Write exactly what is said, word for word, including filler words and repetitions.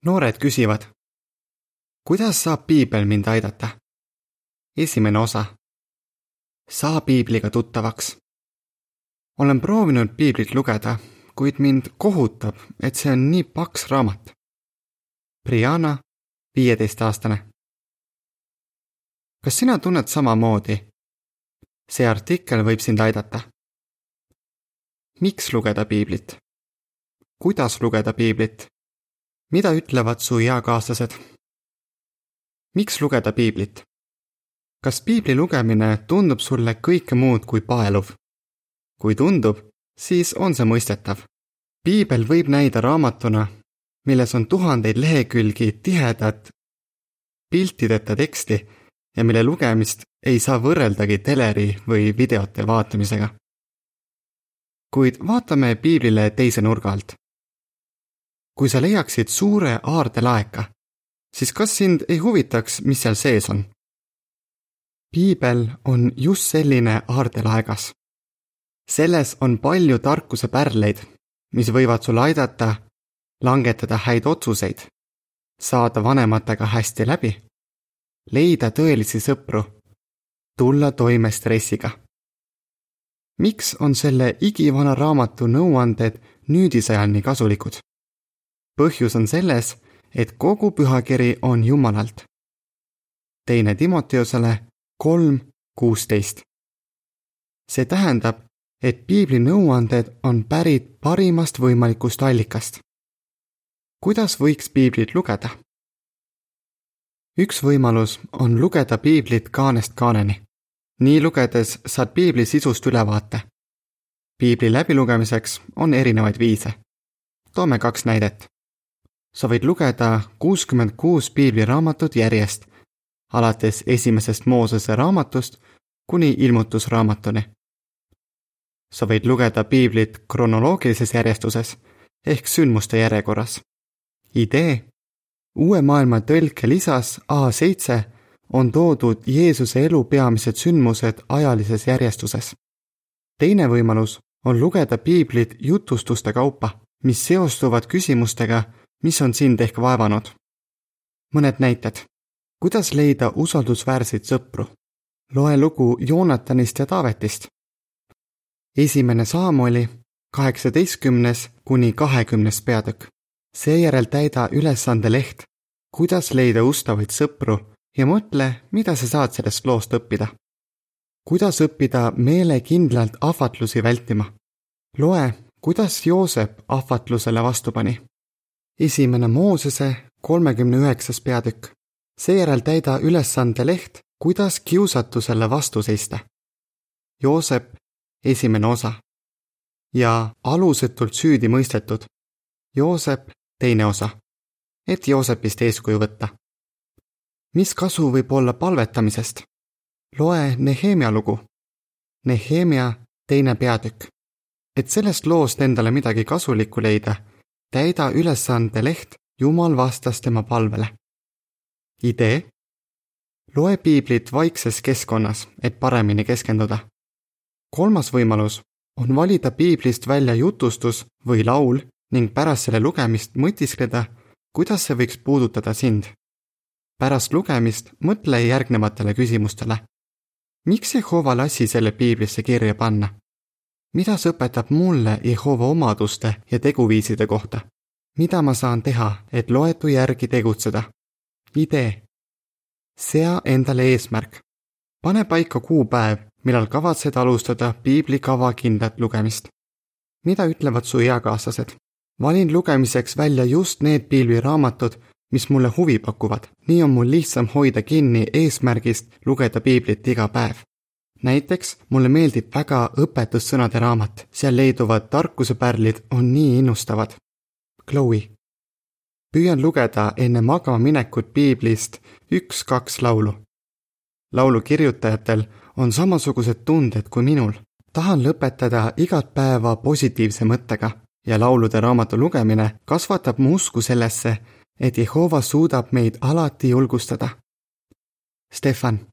Noored küsivad, kuidas saab piibel mind aidata? Esimene osa. Saa piibliga tuttavaks. Olen proovinud piiblit lugeda, kuid mind kohutab, et see on nii paks raamat. Brianna, viieteistaastane. Kas sina tunned samamoodi? See artikkel võib sind aidata. Miks lugeda piiblit? Kuidas lugeda piiblit? Mida ütlevad su eakaaslased? Miks lugeda piiblit? Kas piibli lugemine tundub sulle kõike muud kui paeluv? Kui tundub, siis on see mõistetav. Piibel võib näida raamatuna, milles on tuhandeid lehekülgi tihedat piltideta teksti ja mille lugemist ei saa võrreldagi teleri või videote vaatamisega. Kuid vaatame piiblile teise nurga alt. Kui sa leiaksid suure aardelaeka, siis kas sind ei huvitaks, mis seal sees on? Piibel on just selline aardelaegas. Selles on palju tarkuse pärleid, mis võivad sul aidata langetada häid otsuseid, saada vanematega hästi läbi, leida tõelisi sõpru, tulla toime stressiga. Miks on selle igivana raamatu nõuanded nüüdisajal nii kasulikud? Põhjus on selles, et kogu pühakiri on Jumalalt. Teine Timoteosele kolm kuusteist. See tähendab, et piibli nõuanded on pärit parimast võimalikust allikast. Kuidas võiks piiblit lugeda? Üks võimalus on lugeda piiblit kaanest kaaneni. Nii lugedes saad piibli sisust ülevaate. Piibli läbilugemiseks on erinevaid viise. Toome kaks näidet. Sa võid lugeda kuuskümmend kuus piibliraamatut järjest, alates esimesest Moosese raamatust kuni ilmutusraamatuni. Sa võid lugeda piiblit kronoloogilises järjestuses ehk sündmuste järjekorras. Idee. Uue maailma tõlke lisas A seitse on toodud Jeesuse elu peamised sündmused ajalises järjestuses. Teine võimalus on lugeda piiblit jutustuste kaupa, mis seostuvad küsimustega, mis on sind ehk vaevanud. Mõned näited. Kuidas leida usaldusväärseid sõpru? Loe lugu Joonatanist ja Taavetist. Esimene Saamoli kaheksateistkümnes kuni kahekümnes peatükk. Seejärel täida ülesande leht, kuidas leida ustavaid sõpru ja mõtle, mida sa saad sellest loost õppida. Kuidas õppida meelekindlalt ahvatlusi vältima? Loe, kuidas Joosep ahvatlusele vastu pani. Esimene Moosese kolmekümne üheksas peatükk. Seejärel täida ülesande leht, kuidas kiusatusele vastu seista. Joosep, esimene osa. Ja alusetult süüdi mõistetud. Joosep, teine osa. Et Joosepist eeskuju võtta. Mis kasu võib olla palvetamisest? Loe Nehemia lugu. Nehemia, teine peatükk. Et sellest loost endale midagi kasulikku leida, täida ülesande leht, Jumal vastas tema palvele. Idee. Loe piiblit vaikses keskkonnas, et paremini keskenduda. Kolmas võimalus on valida piiblist välja jutustus või laul ning pärast selle lugemist mõtiskleda, kuidas see võiks puudutada sind. Pärast lugemist mõtle järgnevatele küsimustele. Miks Jehova lasi selle piiblisse kirja panna? Mida see õpetab mulle Jehova omaduste ja teguviiside kohta? Mida ma saan teha, et loetu järgi tegutseda? Idee. Sea endale eesmärk. Pane paika kuupäev, millal kavatsed alustada piibli kavakindlat lugemist. Mida ütlevad su eakaaslased? Valin lugemiseks välja just need piibliraamatud, mis mulle huvi pakuvad. Nii on mul lihtsam hoida kinni eesmärgist lugeda piiblit iga päev. Näiteks mulle meeldib väga õpetussõnade raamat. Seal leiduvad tarkusepärlid on nii innustavad. Chloe. Püüan lugeda enne magama minekut piiblist üks-kaks laulu. Laulu kirjutajatel on samasugused tunded kui minul. Tahan lõpetada igat päeva positiivse mõttega ja laulude raamatu lugemine kasvatab mu usku sellesse, et Jehova suudab meid alati julgustada. Stefan.